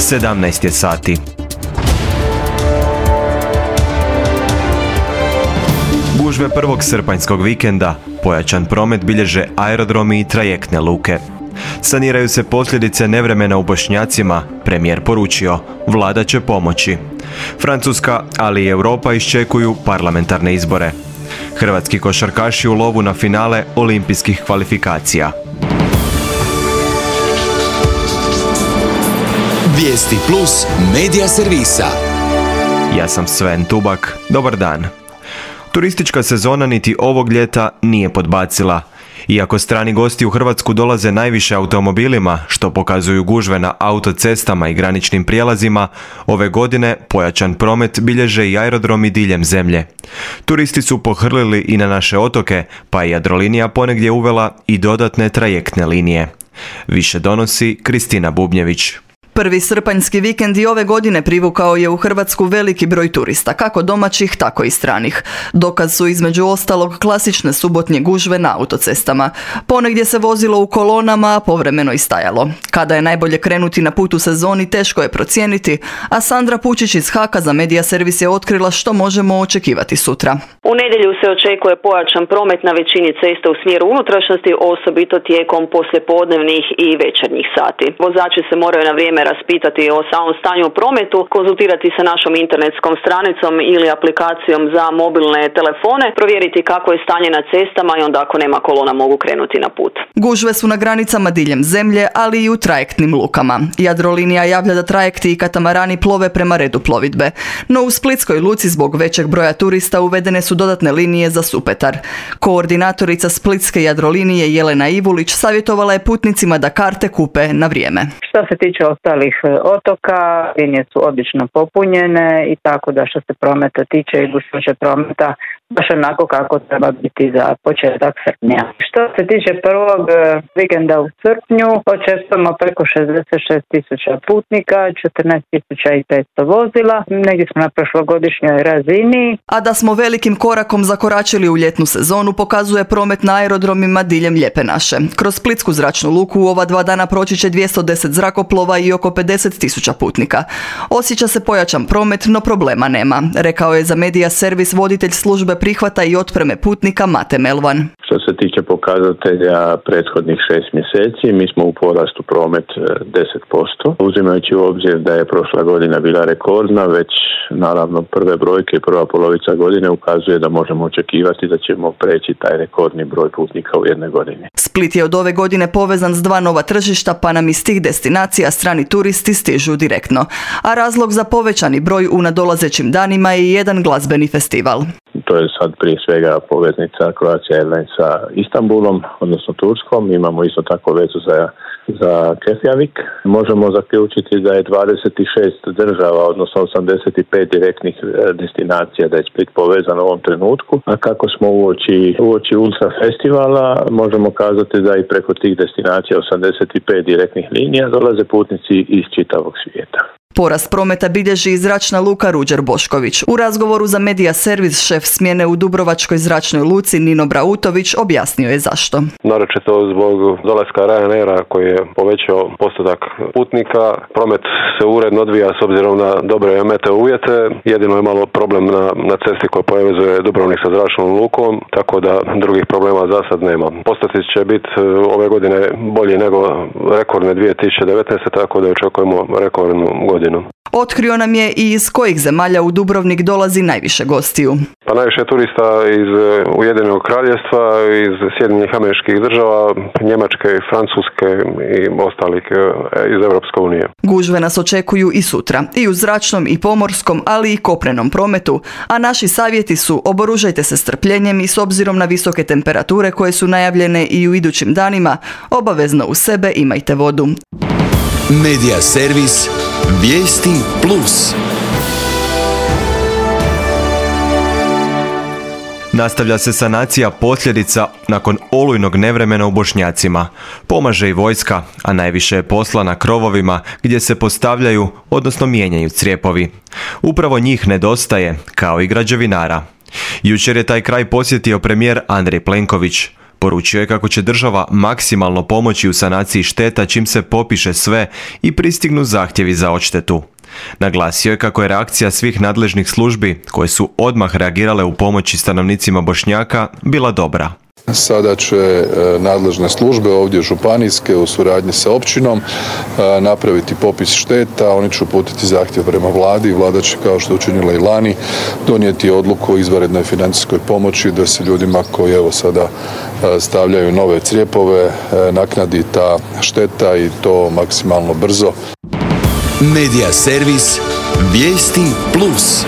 17 je sati. Gužve prvog srpanjskog vikenda pojačan promet bilježe aerodromi i trajektne luke. Saniraju se posljedice nevremena u Bošnjacima, premijer poručio, vlada će pomoći. Francuska, ali i Europa iščekuju parlamentarne izbore. Hrvatski košarkaši u lovu na finale olimpijskih kvalifikacija. Vijesti plus medija servisa. Ja sam Sven Tubak, dobar dan. Turistička sezona niti ovog ljeta nije podbacila. Iako strani gosti u Hrvatsku dolaze najviše automobilima, što pokazuju gužve na autocestama i graničnim prijelazima, ove godine pojačan promet bilježe i aerodromi diljem zemlje. Turisti su pohrlili i na naše otoke, pa je Jadrolinija ponegdje uvela i dodatne trajektne linije. Više donosi Kristina Bubnjević. Prvi srpanjski vikend i ove godine privukao je u Hrvatsku veliki broj turista, kako domaćih, tako i stranih. Dokaz su između ostalog klasične subotnje gužve na autocestama. Ponegdje se vozilo u kolonama, a povremeno i stajalo. Kada je najbolje krenuti na put u sezoni, teško je procijeniti, a Sandra Pučić iz Haka za Medija servis je otkrila što možemo očekivati sutra. U nedjelju se očekuje pojačan promet na većini cesta u smjeru unutrašnjosti, osobito tijekom poslijepodnevnih i večernjih sati. Vozači se moraju na vrijeme raspitati o samom stanju u prometu, konzultirati sa našom internetskom stranicom ili aplikacijom za mobilne telefone, provjeriti kako je stanje na cestama i onda ako nema kolona mogu krenuti na put. Gužve su na granicama diljem zemlje, ali i u trajektnim lukama. Jadrolinija javlja da trajekti i katamarani plove prema redu plovidbe. No u Splitskoj luci zbog većeg broja turista uvedene su dodatne linije za Supetar. Koordinatorica Splitske Jadrolinije Jelena Ivulić savjetovala je putnicima da karte kupe na vrijeme. Što se tiče ostalih otoka, linije su obično popunjene i tako da što se prometa tiče i gustoće prometa baš onako kako treba biti za početak srpnja. Što se tiče prvog vikenda u srpnju, očekujemo preko 66.000 putnika, 14.500 vozila, negdje smo na prošlogodišnjoj razini. A da smo velikim korakom zakoračili u ljetnu sezonu pokazuje promet na aerodromima diljem Lijepe naše. Kroz Splitsku zračnu luku u ova 2 dana proći će 210 zrakoplova i oko 50.000 putnika. Osjeća se pojačan promet, no problema nema, rekao je za Medija servis voditelj službe prihvata i otpreme putnika Mate Melvan. Što se tiče pokazatelja prethodnih 6 mjeseci, mi smo u porastu promet 10%. Uzimajući u obzir da je prošla godina bila rekordna, već naravno prve brojke i prva polovica godine ukazuje da možemo očekivati da ćemo preći taj rekordni broj putnika u jednoj godini. Split je od ove godine povezan s 2 nova tržišta, pa nam iz tih destinacija strani turisti stižu direktno. A razlog za povećani broj u nadolazećim danima je jedan glazbeni festival. To je sad prije svega poveznica Croatia Airlines sa Istanbulom, odnosno Turskom. Imamo isto tako vezu za Keflavik. Možemo zaključiti da je 26 država, odnosno 85 direktnih destinacija, da je Split povezan u ovom trenutku. A kako smo uoči Ultra festivala, možemo kazati da i preko tih destinacija 85 direktnih linija dolaze putnici iz čitavog svijeta. Porast prometa bilježi i zračna luka Ruđer Bošković. U razgovoru za Medija servis šef smjene u Dubrovačkoj zračnoj luci Nino Brautović objasnio je zašto. Naročito zbog dolaska Ryanaira koji je povećao postotak putnika. Promet se uredno odvija s obzirom na dobre meteo uvjete. Jedino je malo problem na cesti koja povezuje Dubrovnik sa zračnom lukom, tako da drugih problema za sad nema. Postoci će biti ove godine bolji nego rekordne 2019. tako da očekujemo rekordnu godinu. Otkrio nam je i iz kojih zemalja u Dubrovnik dolazi najviše gostiju. Pa najviše turista iz Ujedinjenog kraljevstva, iz Sjedinjenih Američkih Država, Njemačke, Francuske i ostalih iz Europske unije. Gužve nas očekuju i sutra, i u zračnom i pomorskom, ali i kopnenom prometu, a naši savjeti su oboružajte se strpljenjem i s obzirom na visoke temperature koje su najavljene i u idućim danima, obavezno uz sebe imajte vodu. Medija servis Vijesti plus. Nastavlja se sanacija posljedica nakon olujnog nevremena u Bošnjacima. Pomaže i vojska, a najviše je posla na krovovima gdje se postavljaju, odnosno mijenjaju crijepovi. Upravo njih nedostaje, kao i građevinara. Jučer je taj kraj posjetio premijer Andrej Plenković. Poručio je kako će država maksimalno pomoći u sanaciji šteta čim se popiše sve i pristignu zahtjevi za odštetu. Naglasio je kako je reakcija svih nadležnih službi, koje su odmah reagirale u pomoći stanovnicima Bošnjaka, bila dobra. Sada će nadležne službe ovdje županijske u suradnji sa općinom napraviti popis šteta, oni će uputiti zahtjev prema vladi i vlada će, kao što je učinila i lani, donijeti odluku o izvanrednoj financijskoj pomoći da se ljudima koji evo sada stavljaju nove crijepove naknadi ta šteta i to maksimalno brzo. Medija servis Vijesti Plus.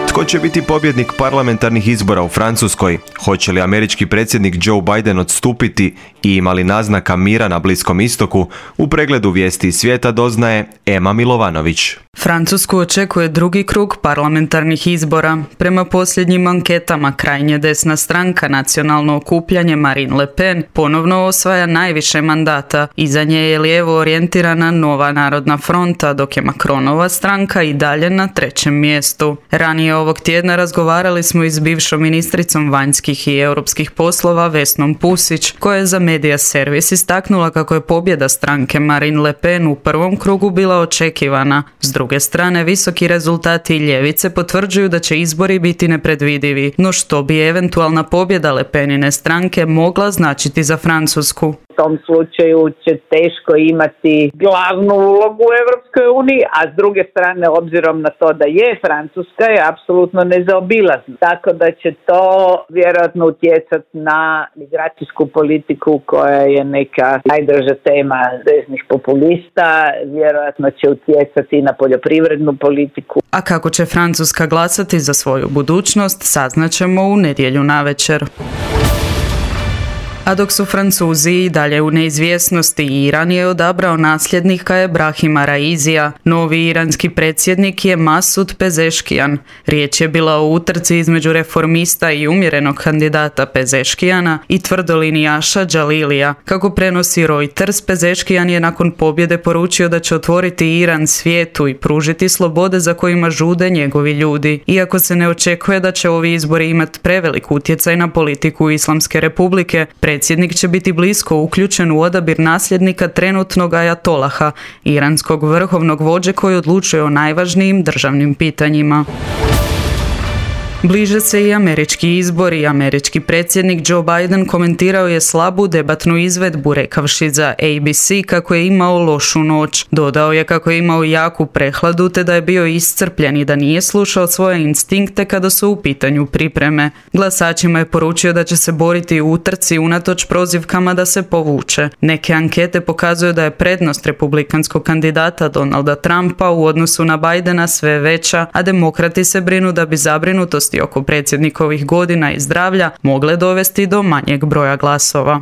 Tko će biti pobjednik parlamentarnih izbora u Francuskoj? Hoće li američki predsjednik Joe Biden odstupiti i ima li naznaka mira na Bliskom istoku? U pregledu Vijesti iz svijeta doznaje Ema Milovanović. Francusku očekuje drugi krug parlamentarnih izbora. Prema posljednjim anketama krajnje desna stranka Nacionalno okupljanje Marine Le Pen ponovno osvaja najviše mandata. Iza nje je lijevo orijentirana Nova narodna fronta, dok je Macronova stranka i dalje na trećem mjestu. Ranije ovog tjedna razgovarali smo i s bivšom ministricom vanjskih i europskih poslova Vesnom Pusić, koja je za Medija servis istaknula kako je pobjeda stranke Marine Le Pen u prvom krugu bila očekivana. S druge strane, visoki rezultati ljevice potvrđuju da će izbori biti nepredvidivi, no što bi eventualna pobjeda Le Penine stranke mogla značiti za Francusku? U tom slučaju će teško imati glavnu ulogu u Europskoj uniji, a s druge strane, obzirom na to da je Francuska, je apsolutno nezaobilazna. Tako da će to vjerojatno utjecati na migracijsku politiku koja je neka najdraža tema desnih populista, vjerojatno će utjecati i na poljoprivrednu politiku. A kako će Francuska glasati za svoju budućnost, saznaćemo u nedjelju navečer. A dok su Francuzi i dalje u neizvjesnosti, Iran je odabrao nasljednika Ebrahima Raizija. Novi iranski predsjednik je Masud Pezeškijan. Riječ je bila o utrci između reformista i umjerenog kandidata Pezeškijana i tvrdolinijaša Džalilija. Kako prenosi Reuters, Pezeškijan je nakon pobjede poručio da će otvoriti Iran svijetu i pružiti slobode za kojima žude njegovi ljudi. Iako se ne očekuje da će ovi izbori imati prevelik utjecaj na politiku Islamske republike, predsjednik će biti blisko uključen u odabir nasljednika trenutnog ajatolaha, iranskog vrhovnog vođe koji odlučuje o najvažnijim državnim pitanjima. Bliže se i američki izbori. Američki predsjednik Joe Biden komentirao je slabu debatnu izvedbu rekavši za ABC kako je imao lošu noć. Dodao je kako je imao jaku prehladu te da je bio iscrpljen i da nije slušao svoje instinkte kada su u pitanju pripreme. Glasačima je poručio da će se boriti u utrci unatoč prozivkama da se povuče. Neke ankete pokazuju da je prednost republikanskog kandidata Donalda Trumpa u odnosu na Bidena sve veća, a demokrati se brinu da bi zabrinutost oko predsjednikovih godina i zdravlja mogle dovesti do manjeg broja glasova.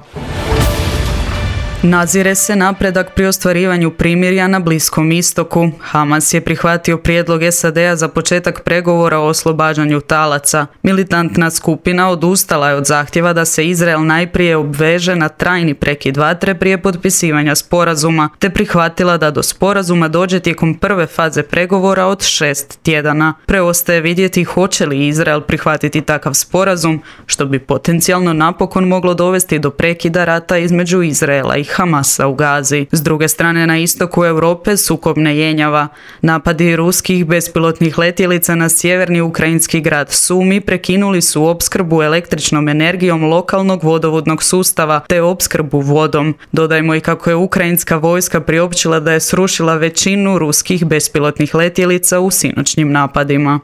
Nazire se napredak pri ostvarivanju primirja na Bliskom istoku. Hamas je prihvatio prijedlog SAD-a za početak pregovora o oslobađanju talaca. Militantna skupina odustala je od zahtjeva da se Izrael najprije obveže na trajni prekid vatre prije potpisivanja sporazuma, te prihvatila da do sporazuma dođe tijekom prve faze pregovora od 6 tjedana. Preostaje vidjeti hoće li Izrael prihvatiti takav sporazum, što bi potencijalno napokon moglo dovesti do prekida rata između Izraela i Hamasa u Gazi. S druge strane, na istoku Europe sukob ne jenjava. Napadi ruskih bespilotnih letjelica na sjeverni ukrajinski grad Sumi prekinuli su opskrbu električnom energijom lokalnog vodovodnog sustava te opskrbu vodom. Dodajmo i kako je ukrajinska vojska priopćila da je srušila većinu ruskih bespilotnih letjelica u sinoćnjim napadima.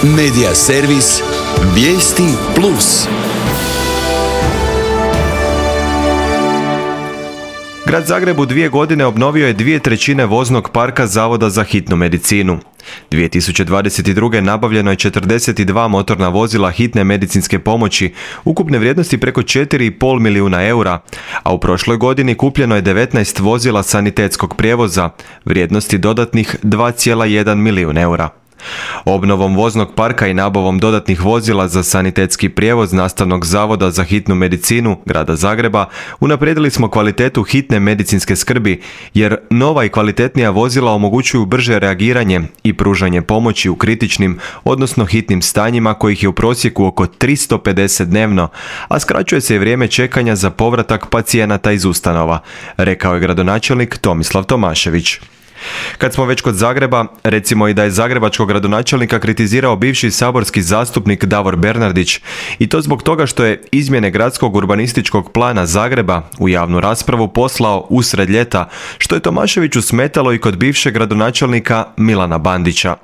Medija servis Vijesti Plus. Grad Zagreb u 2 godine obnovio je 2/3 voznog parka Zavoda za hitnu medicinu. 2022. nabavljeno je 42 motorna vozila hitne medicinske pomoći, ukupne vrijednosti preko 4,5 milijuna eura, a u prošloj godini kupljeno je 19 vozila sanitetskog prijevoza, vrijednosti dodatnih 2,1 milijun eura. Obnovom voznog parka i nabavom dodatnih vozila za sanitetski prijevoz Nastavnog zavoda za hitnu medicinu Grada Zagreba unaprijedili smo kvalitetu hitne medicinske skrbi, jer nova i kvalitetnija vozila omogućuju brže reagiranje i pružanje pomoći u kritičnim, odnosno hitnim stanjima kojih je u prosjeku oko 350 dnevno, a skraćuje se i vrijeme čekanja za povratak pacijenata iz ustanova, rekao je gradonačelnik Tomislav Tomašević. Kad smo već kod Zagreba, recimo i da je zagrebačkog gradonačelnika kritizirao bivši saborski zastupnik Davor Bernardić, i to zbog toga što je izmjene gradskog urbanističkog plana Zagreba u javnu raspravu poslao usred ljeta, što je Tomaševiću smetalo i kod bivšeg gradonačelnika Milana Bandića.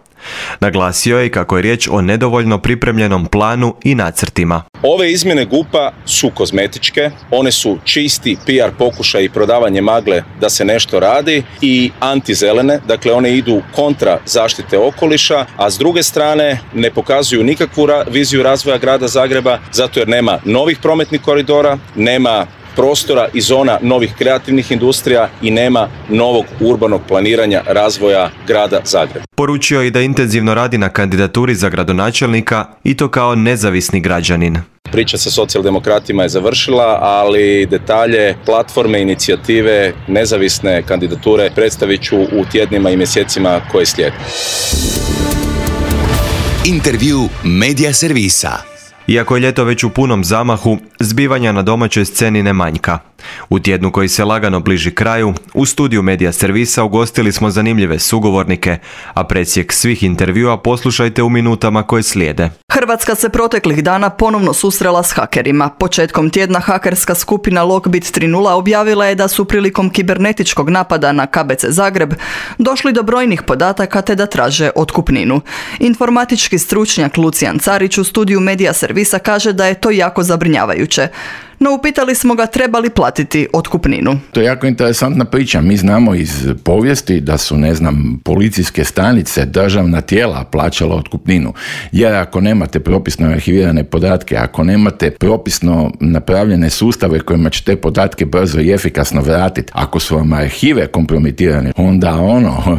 Naglasio je kako je riječ o nedovoljno pripremljenom planu i nacrtima. Ove izmjene GUP-a su kozmetičke, one su čisti PR pokušaj i prodavanje magle da se nešto radi i antizelene, dakle one idu kontra zaštite okoliša, a s druge strane ne pokazuju nikakvu viziju razvoja grada Zagreba, zato jer nema novih prometnih koridora, nema prostora i zona novih kreativnih industrija i nema novog urbanog planiranja razvoja grada Zagreba. Poručio je i da intenzivno radi na kandidaturi za gradonačelnika i to kao nezavisni građanin. Priča sa socijaldemokratima je završila, ali detalje, platforme, inicijative, nezavisne kandidature predstavit ću u tjednima i mjesecima koje slijede. Intervju Medija servisa. Iako je ljeto već u punom zamahu, zbivanja na domaćoj sceni ne manjka. U tjednu koji se lagano bliži kraju, u studiju Medija servisa ugostili smo zanimljive sugovornike, a presjek svih intervjua poslušajte u minutama koje slijede. Hrvatska se proteklih dana ponovno susrela s hakerima. Početkom tjedna hakerska skupina Lockbit 3.0 objavila je da su prilikom kibernetičkog napada na KBC Zagreb došli do brojnih podataka te da traže otkupninu. Informatički stručnjak Lucijan Carić u studiju Medija servisa kaže da je to jako zabrinjavajuće. No upitali smo ga treba li platiti otkupninu. To je jako interesantna priča. Mi znamo iz povijesti da su, policijske stanice, državna tijela plaćala otkupninu. Jer ako nemate propisno arhivirane podatke, ako nemate propisno napravljene sustave kojima će te podatke brzo i efikasno vratiti, ako su vam arhive kompromitirane, onda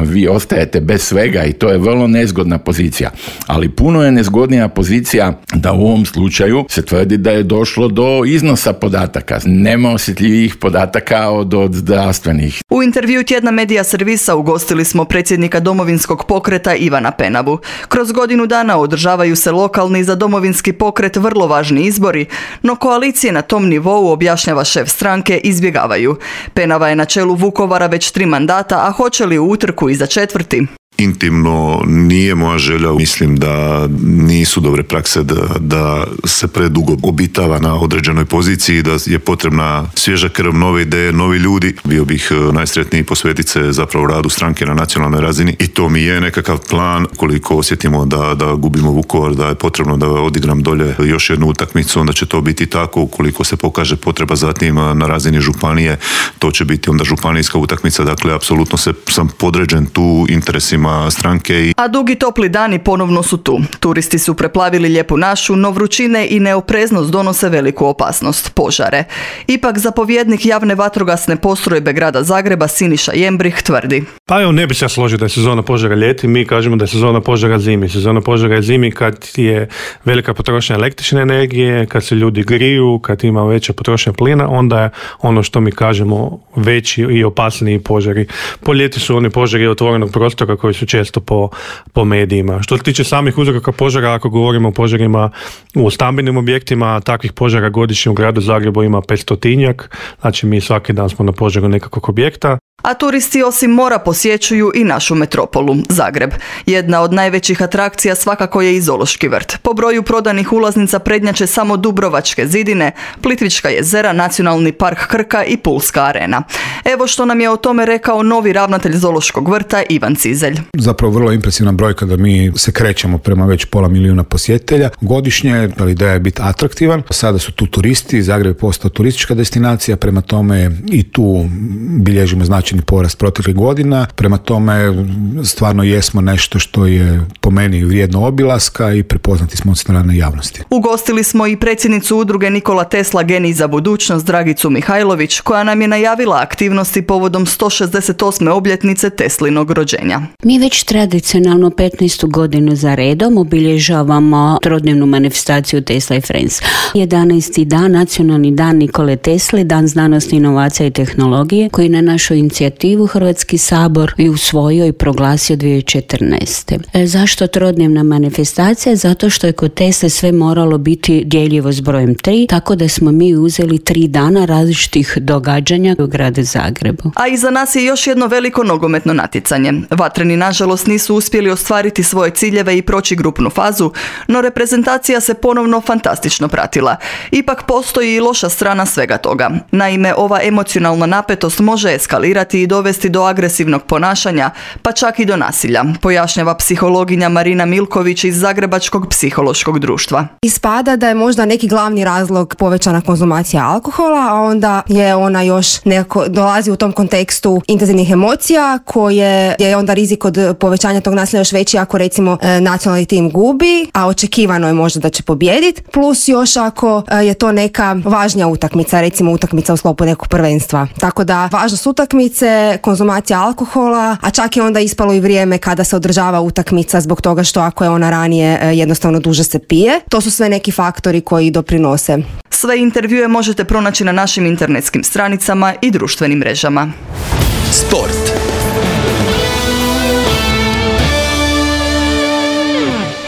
vi ostajete bez svega i to je vrlo nezgodna pozicija. Ali puno je nezgodnija pozicija da u ovom slučaju se tvrdi da je došlo do iznosa podataka. Nema osjetljivih podataka od zdravstvenih. U intervju tjedna Medija servisa ugostili smo predsjednika Domovinskog pokreta Ivana Penavu. Kroz godinu dana održavaju se lokalni za Domovinski pokret vrlo važni izbori, no koalicije na tom nivou, objašnjava šef stranke, izbjegavaju. Penava je na čelu Vukovara već 3 mandata, a hoće li u utrku i za 4? Intimno nije moja želja, mislim da nisu dobre prakse da se predugo obitava na određenoj poziciji, da je potrebna svježa krv, nove ideje, novi ljudi. Bio bih najsretniji posvetiti se zapravo radu stranke na nacionalnoj razini i to mi je nekakav plan. Koliko osjetimo da gubimo Vukovar, da je potrebno da odigram dolje još jednu utakmicu, onda će to biti tako. Ukoliko se pokaže potreba zatim na razini županije, to će biti onda županijska utakmica. Dakle, apsolutno sam podređen tu interesima stranke. A dugi topli dani ponovno su tu. Turisti su preplavili lijepu našu, no vrućine i neopreznost donose veliku opasnost, požare. Ipak zapovjednik javne vatrogasne postrojbe grada Zagreba Siniša Jembrih tvrdi. Pa evo, ne bi se složio da je sezona požara ljeti, mi kažemo da je sezona požara zimi. Sezona požara je zimi kad je velika potrošnja električne energije, kad se ljudi griju, kad ima veća potrošnja plina, onda je ono što mi kažemo veći i opasniji požari. Po ljeti su oni požari otvorenog prostora koji su često po medijima. Što se tiče samih uzroka požara, ako govorimo o požarima u stambenim objektima, takvih požara godišnje u gradu Zagrebu ima 500-tinjak, znači mi svaki dan smo na požaru nekakvog objekta. A turisti osim mora posjećuju i našu metropolu, Zagreb. Jedna od najvećih atrakcija svakako je i Zoološki vrt. Po broju prodanih ulaznica prednjače samo Dubrovačke zidine, Plitvička jezera, Nacionalni park Krka i Pulska arena. Evo što nam je o tome rekao novi ravnatelj Zoološkog vrta Ivan Cizelj. Zapravo vrlo impresivna brojka da mi se krećemo prema već 500.000 posjetitelja godišnje, ali ideja je biti atraktivan. Sada su tu turisti, Zagreb je postao turistička destinacija, prema tome i tu bilježimo značajne značajni porast proteklih godina. Prema tome stvarno jesmo nešto što je po meni vrijedno obilaska i prepoznati smo od strane javnosti. Ugostili smo i predsjednicu udruge Nikola Tesla Genij za budućnost Dragicu Mihajlović, koja nam je najavila aktivnosti povodom 168. obljetnice Teslinog rođenja. Mi već tradicionalno 15. godinu za redom obilježavamo trodnevnu manifestaciju Tesla i Friends. 11. dan, nacionalni dan Nikole Tesle, dan znanosti, inovacija i tehnologije, koji na našu inicijativu Hrvatski sabor i usvojio i proglasio 2014. Zašto trodnevna manifestacija? Zato što je kod Tesle sve moralo biti djeljivo s brojem 3, tako da smo mi uzeli 3 dana različitih događanja u gradu Zagrebu. A iza nas je još jedno veliko nogometno natjecanje. Vatreni nažalost nisu uspjeli ostvariti svoje ciljeve i proći grupnu fazu, no reprezentacija se ponovno fantastično pratila. Ipak postoji i loša strana svega toga. Naime, ova emocionalna napetost može eskalirati i dovesti do agresivnog ponašanja, pa čak i do nasilja, pojašnjava psihologinja Marina Milković iz Zagrebačkog psihološkog društva. Ispada da je možda neki glavni razlog povećana konzumacija alkohola, a onda je ona još nekako dolazi u tom kontekstu intenzivnih emocija, koje je onda rizik od povećanja tog nasilja još veći ako recimo nacionalni tim gubi, a očekivano je možda da će pobijediti, plus još ako je to neka važnija utakmica, recimo utakmica u sklopu nekog prvenstva. Tako da važnost utakmice, konzumacija alkohola, a čak je onda ispalo i vrijeme kada se održava utakmica zbog toga što ako je ona ranije jednostavno duže se pije. To su sve neki faktori koji doprinose. Sve intervjue možete pronaći na našim internetskim stranicama i društvenim mrežama. Sport.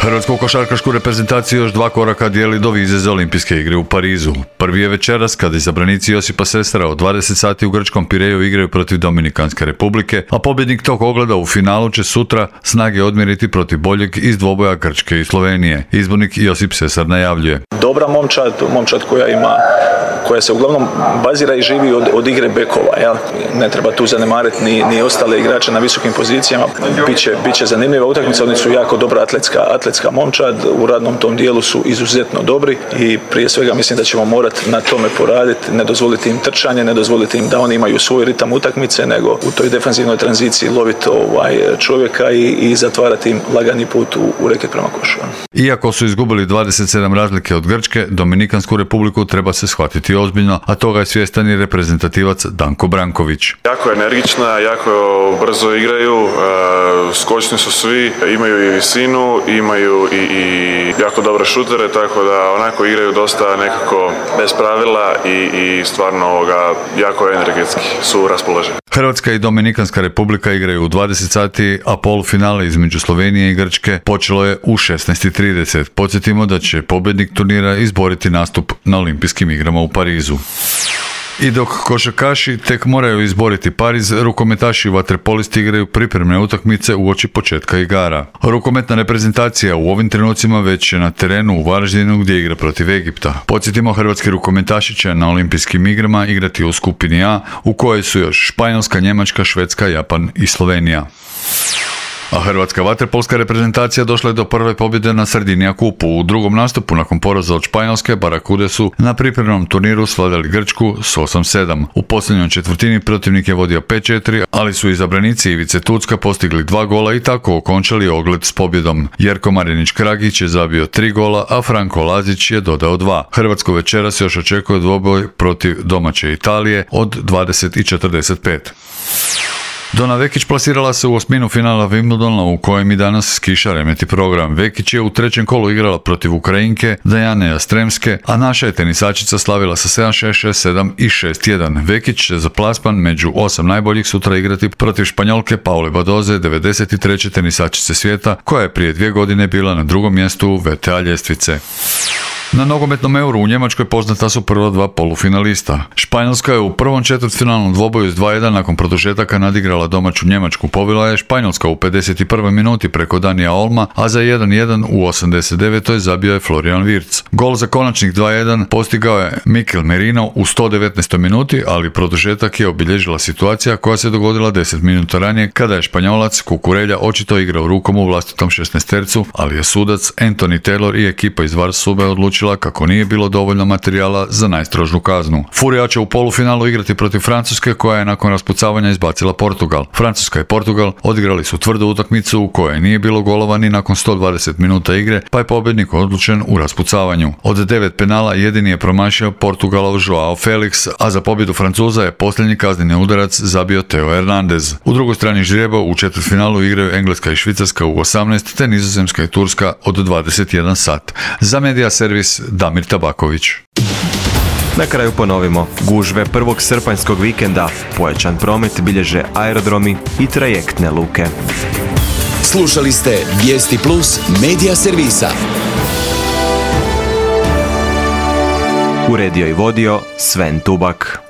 Hrvatsku košarkašku reprezentaciju još 2 koraka dijeli do vize za olimpijske igre u Parizu. Prvi je večeras kada izabranici Josipa Sestara od 20 sati u grčkom Pireju igraju protiv Dominikanske republike, a pobjednik tog ogleda u finalu će sutra snage odmjeriti protiv boljeg iz dvoboja Grčke i Slovenije. Izbornik Josip Sesar najavljuje. Dobra momčad koja se uglavnom bazira i živi od igre bekova. Ja? Ne treba tu zanemariti ni ostale igrače na visokim pozicijama. Biće zanimljiva utakmica, oni su jako dobra atletska momčad, u radnom tom dijelu su izuzetno dobri i prije svega mislim da ćemo morati na tome poraditi, ne dozvoliti im trčanje, ne dozvoliti im da oni imaju svoj ritam utakmice, nego u toj defanzivnoj tranziciji loviti čovjeka i zatvarati im lagani put u reket prema košu. Iako su izgubili 27 razlike od Grčke, Dominikansku republiku treba se shvatiti ozbiljno, a toga je svjestan i reprezentativac Danko Branković. Jako je energična, jako brzo igraju, skočni su svi, imaju i visinu, imaju i jako dobre šutere, tako da onako igraju dosta nekako bez pravila i stvarno jako energetski su raspoloženi. Hrvatska i Dominikanska republika igraju u 20 sati, a polufinale između Slovenije i Grčke počelo je u 16:30. Podsjetimo da će pobjednik turnira izboriti nastup na olimpijskim igrama u Parizu. I dok košarkaši tek moraju izboriti Pariz, rukometaši i vaterpolisti igraju pripremne utakmice uoči početka igara. Rukometna reprezentacija u ovim trenucima već je na terenu u Varaždinu gdje igra protiv Egipta. Podsjetimo, hrvatski rukometaši će na olimpijskim igrama igrati u skupini A, u kojoj su još Španjolska, Njemačka, Švedska, Japan i Slovenija. A hrvatska vaterpolska reprezentacija došla je do prve pobjede na Sardinija kupu. U drugom nastupu nakon poraza od Španjolske, Barakude su na pripremnom turniru svladali Grčku s 8-7. U posljednjoj četvrtini protivnik je vodio 5-4, ali su izabranici Ivice Tucka postigli 2 gola i tako okončali ogled s pobjedom. Jerko Marinić-Kragić je zabio 3 gola, a Franko Lazić je dodao 2. Hrvatsko večeras još očekuje dvoboj protiv domaće Italije od 20:45. Dona Vekić plasirala se u osminu finala Wimbledona u kojem i danas skiša remeti program. Vekić je u trećem kolu igrala protiv Ukrajinke Dajane Jastremske, a naša je tenisačica slavila sa 7-6, 6-7 i 6-1. Vekić će za plasman među 8 najboljih sutra igrati protiv Španjolke Paule Badoze, 93. tenisačice svijeta, koja je prije 2 godine bila na drugom mjestu VTA ljestvice. Na nogometnom Euru u Njemačkoj poznata su prva 2 polufinalista. Španjolska je u prvom četvrtfinalnom dvoboju s 2-1 nakon produžetaka nadigrala domaću Njemačku. Pobila je Španjolska u 51. minuti preko Danija Olma, a za 1-1 u 89. zabio je Florian Wirtz. Gol za konačnih 2-1 postigao je Mikel Merino u 119. minuti, ali produžetak je obilježila situacija koja se dogodila 10 minuta ranije kada je Španjolac Kukurelja očito igrao rukom u vlastitom 16-tercu, ali je sudac Anthony Taylor i ekipa iz VAR Sube odlučili odlučila kako nije bilo dovoljno materijala za najstrožu kaznu. Furija će u polufinalu igrati protiv Francuske, koja je nakon raspucavanja izbacila Portugal. Francuska i Portugal odigrali su tvrdu utakmicu u kojoj nije bilo golova ni nakon 120 minuta igre, pa je pobjednik odlučen u raspucavanju. Od 9 penala jedini je promašio Portugalov Joao Felix, a za pobjedu Francuza je posljednji kazneni udarac zabio Theo Hernandez. U drugoj strani ždrijeba u četvrtfinalu igraju Engleska i Švicarska u 18, te Nizozemska i Turska od 21 sat. Za Media Servis Damir Tabaković. Na kraju ponovimo, gužve prvog srpanjskog vikenda, pojačan promet bilježe aerodromi i trajektne luke. Slušali ste Vijesti Plus Media Servisa. Uredio i vodio Sven Tubak.